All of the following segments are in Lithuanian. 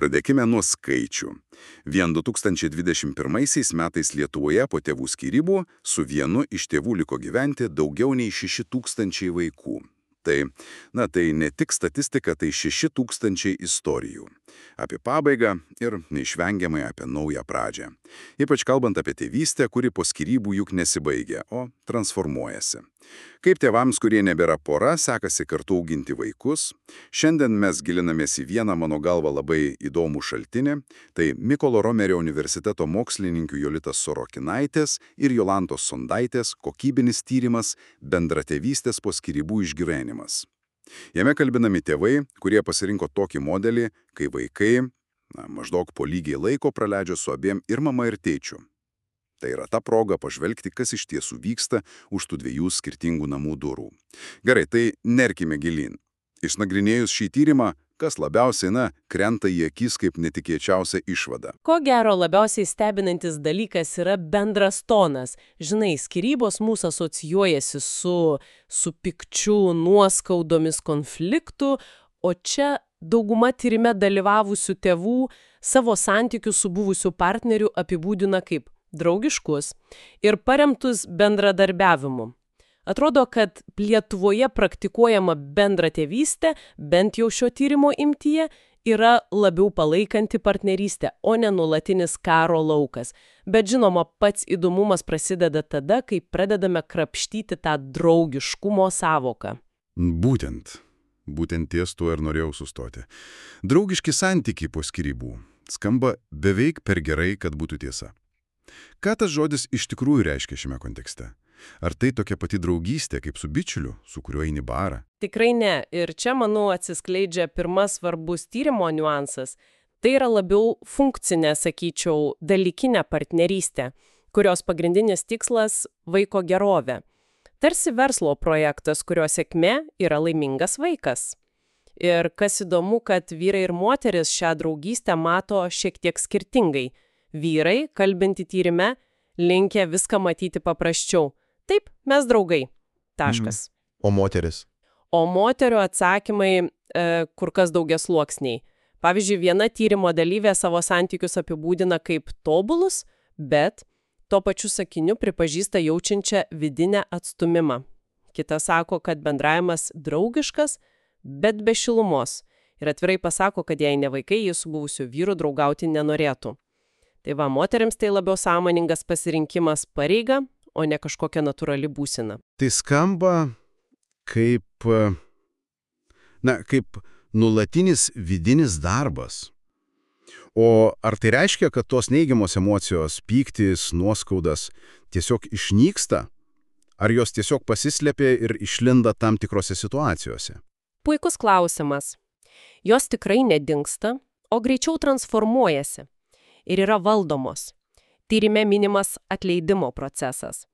Pradėkime nuo skaičių. Vien 2021 metais Lietuvoje po tėvų skyrybų su vienu iš tėvų liko gyventi daugiau nei 6000 vaikų. Tai ne tik statistika, tai 6000 istorijų. Apie pabaigą ir neišvengiamai apie naują pradžią. Ypač kalbant apie tėvystę, kuri po skyrybų juk nesibaigia, o transformuojasi. Kaip tėvams, kurie nebėra pora, sekasi kartu auginti vaikus. Šiandien mes gilinamės į vieną mano galva labai įdomų šaltinį. Tai Mykolo Romerio universiteto mokslininkių Jolitos Sorokinaitės ir Jolantos Sondaitės kokybinis tyrimas Bendratėvystės po skyrybų išgyvenimas. Jame kalbinami tėvai, kurie pasirinko tokį modelį, kai vaikai maždaug po lygiai laiko praleidžia su abiem ir mama ir tėčiu. Tai yra ta proga pažvelgti, kas iš tiesų vyksta už tų dviejų skirtingų namų durų. Gerai, tai nerkime gilyn. Išnagrinėjus šį tyrimą, kas labiausiai krenta į akis kaip netikėčiausia išvada. Ko gero labiausiai stebinantis dalykas yra bendras tonas. Žinai, skyrybos mūsų asocijuojasi su pykčiu, nuoskaudomis, konfliktu, o čia dauguma tyrime dalyvavusių tėvų savo santykius su buvusiu partneriu apibūdina kaip draugiškus ir paremtus bendradarbiavimu. Atrodo, kad Lietuvoje praktikuojama bendratėvystė, bent jau šio tyrimo imtyje, yra labiau palaikanti partnerystę, o ne nuolatinis karo laukas. Bet žinoma, pats įdomumas prasideda tada, kai pradedame krapštyti tą draugiškumo sąvoką. Būtent ties tuo ir norėjau sustoti. Draugiški santykiai po skyrybų skamba beveik per gerai, kad būtų tiesa. Ką tas žodis iš tikrųjų reiškia šiame kontekste? Ar tai tokia pati draugystė kaip su bičiuliu, su kuriuo eini barą? Tikrai ne. Ir čia, manau, atsiskleidžia pirmas svarbus tyrimo niuansas. Tai yra labiau funkcinė, sakyčiau, dalykinė partnerystė, kurios pagrindinis tikslas – vaiko gerovė. Tarsi verslo projektas, kurio sėkmė yra laimingas vaikas. Ir kas įdomu, kad vyrai ir moteris šią draugystę mato šiek tiek skirtingai. Vyrai, kalbinti tyrime, linkę viską matyti paprasčiau. Taip, mes draugai. Taškas. O moteris? O moterio atsakymai kur kas daugiasluoksniai. Pavyzdžiui, viena tyrimo dalyvė savo santykius apibūdina kaip tobulus, bet tuo pačiu sakiniu pripažįsta jaučiančią vidinę atstumimą. Kita sako, kad bendravimas draugiškas, bet be šilumos. Ir atvirai pasako, kad jei ne vaikai, jis su buvusiu vyru draugauti nenorėtų. Tai va, moteriams tai labiau sąmoningas pasirinkimas pareiga, o ne kažkokia natūrali būsena. Tai skamba kaip nuolatinis vidinis darbas. O ar tai reiškia, kad tos neigiamos emocijos, pyktis, nuoskaudas tiesiog išnyksta? Ar jos tiesiog pasislėpia ir išlinda tam tikrose situacijose? Puikus klausimas. Jos tikrai nedingsta, o greičiau transformuojasi ir yra valdomos. Tyrime minimas atleidimo procesas.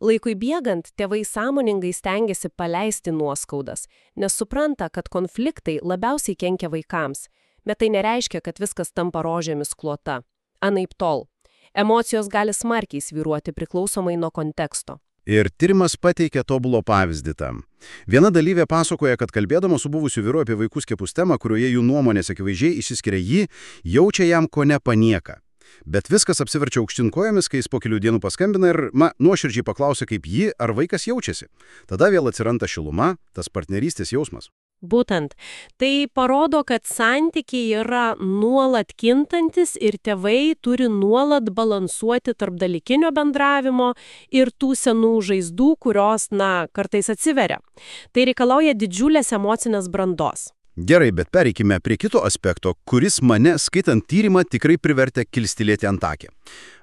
Laikui bėgant, tėvai sąmoningai stengiasi paleisti nuoskaudas, nes supranta, kad konfliktai labiausiai kenkia vaikams, bet tai nereiškia, kad viskas tampa rožėmis klota. Anaiptol. Emocijos gali smarkiai svyruoti priklausomai nuo konteksto. Ir tyrimas pateikia tobulo pavyzdį tam. Viena dalyvė pasakoja, kad kalbėdama su buvusiu vyru apie vaikų skiepus temą, kurioje jų nuomonės akivaizdžiai išsiskiria, ji jaučia jam kone panieką. Bet viskas apsiverčia aukštyn kojomis, kai jis po kelių dienų paskambina ir, nuoširdžiai paklausia, kaip ji ar vaikas jaučiasi. Tada vėl atsiranda šiluma, tas partnerystės jausmas. Būtent. Tai parodo, kad santykiai yra nuolat kintantis ir tėvai turi nuolat balansuoti tarp dalykinio bendravimo ir tų senų žaizdų, kurios, kartais atsiveria. Tai reikalauja didžiulės emocinės brandos. Gerai, bet pereikime prie kito aspekto, kuris mane, skaitant tyrimą, tikrai privertė kilstelėti antakę.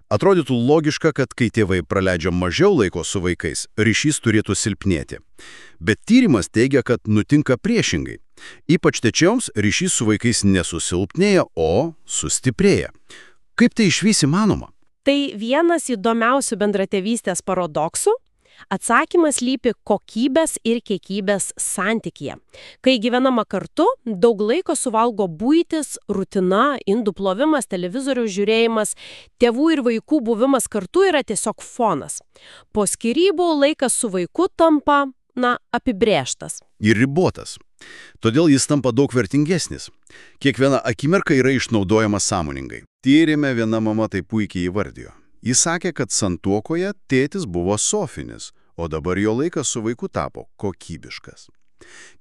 Atrodytų logiška, kad kai tėvai praleidžia mažiau laiko su vaikais, ryšys turėtų silpnėti. Bet tyrimas teigia, kad nutinka priešingai. Ypač tėčioms ryšys su vaikais nesusilpnėja, o sustiprėja. Kaip tai išvis įmanoma? Tai vienas įdomiausių bendratėvystės paradoksų. Atsakymas slypi kokybės ir kiekybės santykyje. Kai gyvenama kartu, daug laiko suvalgo buitis, rutina, indų plovimas, televizoriaus žiūrėjimas, tėvų ir vaikų buvimas kartu yra tiesiog fonas. Po skyrybų laikas su vaiku tampa, apibrėžtas. Ir ribotas. Todėl jis tampa daug vertingesnis. Kiekviena akimirka yra išnaudojama sąmoningai. Tyrime viena mama tai puikiai įvardijo. Jis sakė, kad santuokoje tėtis buvo sofinis, o dabar jo laikas su vaiku tapo kokybiškas.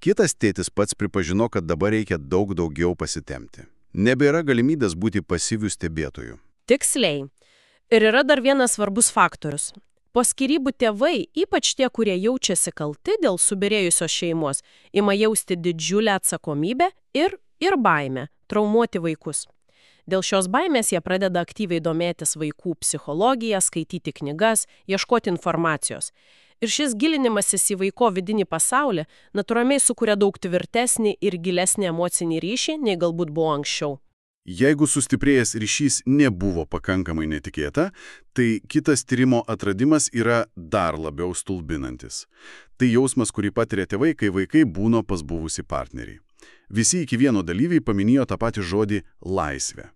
Kitas tėtis pats pripažino, kad dabar reikia daug daugiau pasitemti. Nebėra galimybės būti pasyvių stebėtojų. Tiksliai. Ir yra dar vienas svarbus faktorius. Po skyrybų tėvai, ypač tie, kurie jaučiasi kalti dėl subyrėjusios šeimos, ima jausti didžiulę atsakomybę ir baimę traumuoti vaikus. Dėl šios baimės jie pradeda aktyviai domėtis vaikų psichologija, skaityti knygas, ieškoti informacijos. Ir šis gilinimasis į vaiko vidinį pasaulį natūraliai sukuria daug tvirtesnį ir gilesnį emocinį ryšį, nei galbūt buvo anksčiau. Jeigu sustiprėjęs ryšys nebuvo pakankamai netikėta, tai kitas tyrimo atradimas yra dar labiau stulbinantis. Tai jausmas, kurį patiria tėvai, kai vaikai būna pas buvusį partnerį. Visi iki vieno dalyviai paminėjo tą patį žodį laisvė.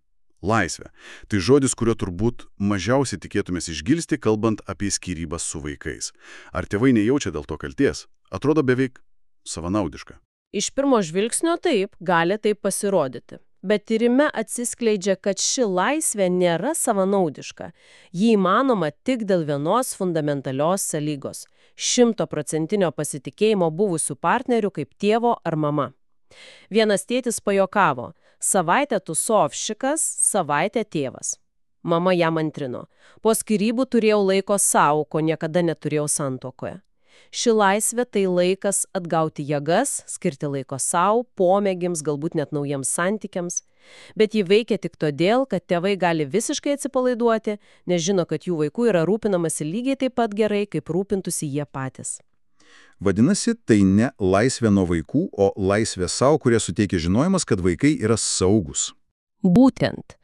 Laisvė. Tai žodis, kurio turbūt mažiausiai tikėtumės išgirsti, kalbant apie skyrybas su vaikais. Ar tėvai nejaučia dėl to kalties? Atrodo beveik savanaudiška. Iš pirmo žvilgsnio taip, gali taip pasirodyti. Bet tyrime atsiskleidžia, kad ši laisvė nėra savanaudiška. Ji įmanoma tik dėl vienos fundamentalios sąlygos – 100% pasitikėjimo buvusių partnerių kaip tėvo ar mama. Vienas tėtis pajokavo: savaitę tusovšikas, savaitę tėvas. Mama jam antrino: po skyrybų turėjau laiko savo, ko niekada neturėjau santuokoje. Ši laisvė tai laikas atgauti jėgas, skirti laiko savo, pomėgiams, galbūt net naujiems santykiams. Bet ji veikia tik todėl, kad tėvai gali visiškai atsipalaiduoti, nes žino, kad jų vaikų yra rūpinamasi lygiai taip pat gerai, kaip rūpintųsi jie patys. Vadinasi, tai ne laisvė nuo vaikų, o laisvė savo, kurie suteikia žinojimas, kad vaikai yra saugus. Būtent.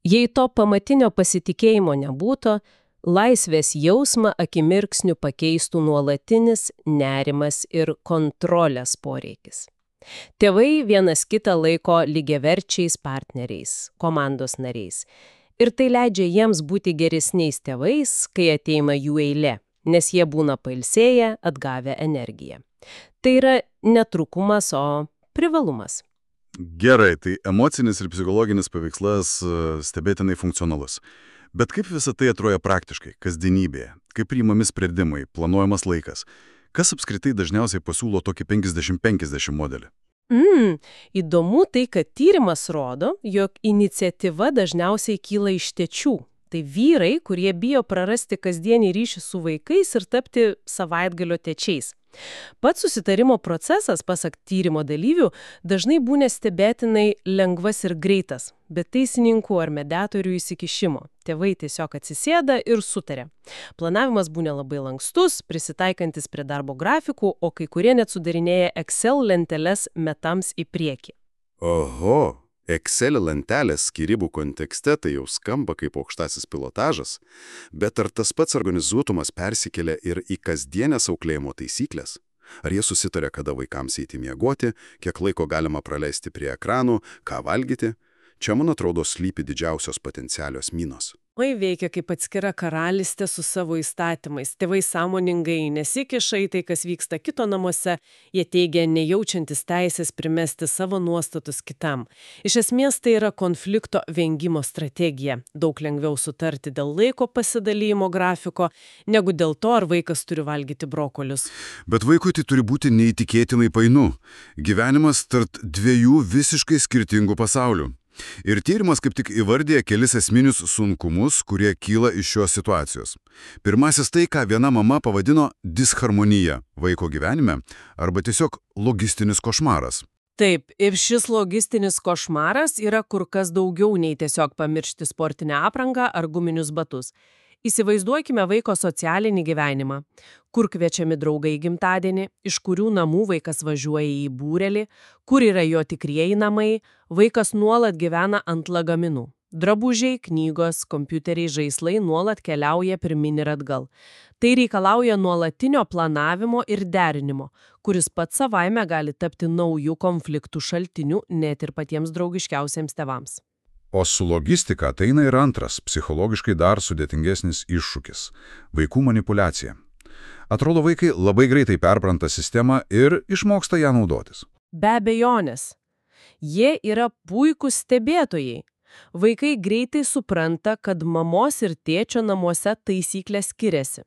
Jei to pamatinio pasitikėjimo nebūtų, laisvės jausmą akimirksniu pakeistų nuolatinis nerimas ir kontrolės poreikis. Tėvai vienas kitą laiko lygiaverčiais partneriais, komandos nariais. Ir tai leidžia jiems būti geresniais tėvais, kai ateina jų eilė, nes jie būna pailsėję, atgavę energiją. Tai yra ne trūkumas, o privalumas. Gerai, tai emocinis ir psichologinis paveikslas stebėtinai funkcionalus. Bet kaip visą tai atrodo praktiškai, kasdienybėje? Kaip priimami sprendimai, planuojamas laikas? Kas apskritai dažniausiai pasiūlo tokį 50-50 modelį? Įdomu tai, kad tyrimas rodo, jog iniciatyva dažniausiai kyla iš tėčių. Tai vyrai, kurie bijo prarasti kasdienį ryšį su vaikais ir tapti savaitgalio tėčiais. Pats susitarimo procesas, pasak tyrimo dalyvių, dažnai būna stebėtinai lengvas ir greitas, bet teisininkų ar mediatorių įsikišimo. Tėvai tiesiog atsisėda ir sutarė. Planavimas būna labai lankstus, prisitaikantis prie darbo grafikų, o kai kurie net sudarinėja Excel lenteles metams į priekį. Oho! Excel lentelės skyrybų kontekste tai jau skamba kaip aukštasis pilotažas, bet ar tas pats organizuotumas persikelia ir į kasdienės auklėjimo taisyklės? Ar jie susitarė, kada vaikams eiti miegoti, kiek laiko galima praleisti prie ekranų, ką valgyti? Čia, man atrodo, slypi didžiausios potencialios minos. Oi, veikia kaip atskira karalystė su savo įstatymais. Tėvai sąmoningai nesikiša į tai, kas vyksta kito namuose. Jie teigia nejaučiantis teisės primesti savo nuostatus kitam. Iš esmės tai yra konflikto vengimo strategija. Daug lengviau sutarti dėl laiko pasidalymo grafiko, negu dėl to, ar vaikas turi valgyti brokolius. Bet vaikui tai turi būti neįtikėtinai painu. Gyvenimas tarp dviejų visiškai skirtingų pasaulių. Ir tyrimas kaip tik įvardija kelis esminius sunkumus, kurie kyla iš šios situacijos. Pirmasis tai, ką viena mama pavadino disharmonija vaiko gyvenime arba tiesiog logistinis košmaras. Taip, ir šis logistinis košmaras yra kur kas daugiau nei tiesiog pamiršti sportinę aprangą ar guminius batus. Įsivaizduokime vaiko socialinį gyvenimą, kur kviečiami draugai į gimtadienį, iš kurių namų vaikas važiuoja į būrelį, kur yra jo tikrieji namai, vaikas nuolat gyvena ant lagaminų. Drabužiai, knygos, kompiuteriai, žaislai nuolat keliauja pirmin ir atgal. Tai reikalauja nuolatinio planavimo ir derinimo, kuris pats savaime gali tapti naujų konfliktų šaltiniu net ir patiems draugiškiausiems tėvams. O su logistika ateina ir antras, psichologiškai dar sudėtingesnis iššūkis – vaikų manipuliacija. Atrodo, vaikai labai greitai perpranta sistemą ir išmoksta ją naudotis. Be abejonės. Jie yra puikūs stebėtojai. Vaikai greitai supranta, kad mamos ir tėčio namuose taisyklės skiriasi.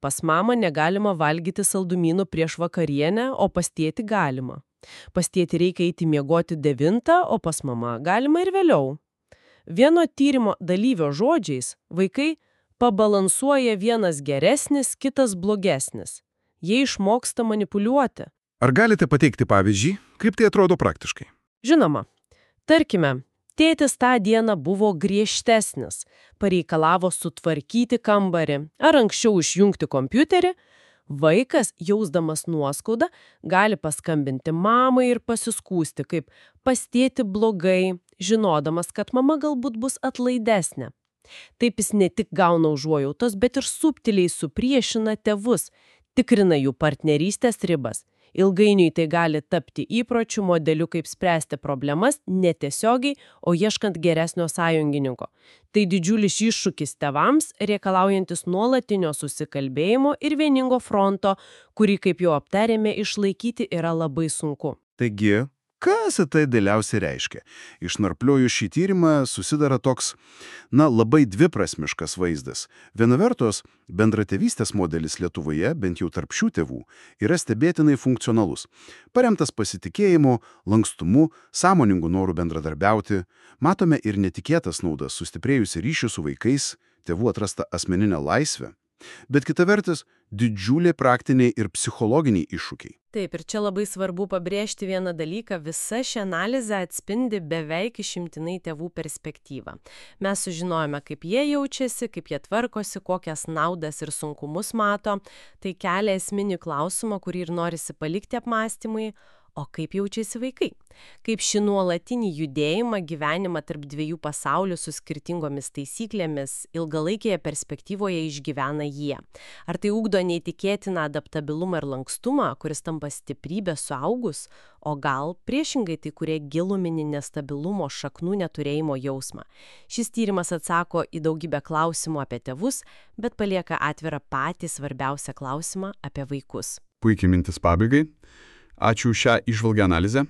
Pas mamą negalima valgyti saldumynų prieš vakarienę, o pas tėtį galima. Pas tėtį reikia eiti miegoti 9, o pas mamą galima ir vėliau. Vieno tyrimo dalyvio žodžiais vaikai pabalansuoja vienas geresnis, kitas blogesnis. Jie išmoksta manipuliuoti. Ar galite pateikti pavyzdžių, kaip tai atrodo praktiškai? Žinoma, tarkime, tėtis tą dieną buvo griežtesnis, pareikalavo sutvarkyti kambarį ar anksčiau išjungti kompiuterį. Vaikas, jausdamas nuoskaudą, gali paskambinti mamai ir pasiskųsti, kaip pas tėtį blogai, žinodamas, kad mama galbūt bus atlaidesnė. Taip jis ne tik gauna užuojautos, bet ir subtiliai supriešina tėvus, tikrina jų partnerystės ribas. Ilgainiui tai gali tapti įpročių modeliu, kaip spręsti problemas netiesiogiai, o ieškant geresnio sąjungininko. Tai didžiulis iššūkis tėvams, reikalaujantis nuolatinio susikalbėjimo ir vieningo fronto, kurį, kaip jau aptarėme, išlaikyti yra labai sunku. Taigi, kas tai dėliausiai reiškia? Išnarplioju šį tyrimą susidara toks, labai dviprasmiškas vaizdas. Viena vertus, bendratėvystės modelis Lietuvoje, bent jau tarp šių tėvų, yra stebėtinai funkcionalus. Paremtas pasitikėjimu, lankstumu, sąmoningu noru bendradarbiauti, matome ir netikėtas naudas, sustiprėjusi ryšį su vaikais, tėvų atrasta asmeninė laisvė. Bet kita vertus, didžiuliai praktiniai ir psichologiniai iššūkiai. Taip, ir čia labai svarbu pabrėžti vieną dalyką, visa ši analizė atspindi beveik išimtinai tėvų perspektyvą. Mes sužinojome, kaip jie jaučiasi, kaip jie tvarkosi, kokias naudas ir sunkumus mato. Tai kelia esminį klausimą, kurį ir norisi palikti apmąstymui. O kaip jaučiasi vaikai? Kaip šį nuolatinį judėjimą, gyvenimą tarp dviejų pasaulių su skirtingomis taisyklėmis ilgalaikėje perspektyvoje išgyvena jie? Ar tai ugdo neįtikėtiną adaptabilumą ir lankstumą, kuris tampa stiprybė suaugus, o gal priešingai tai kurie giluminį nestabilumo šaknų neturėjimo jausmą? Šis tyrimas atsako į daugybę klausimų apie tėvus, bet palieka atvirą patį svarbiausią klausimą apie vaikus. Puikiai mintis pabaigai. Ačiū už šią įžvalgią analizę.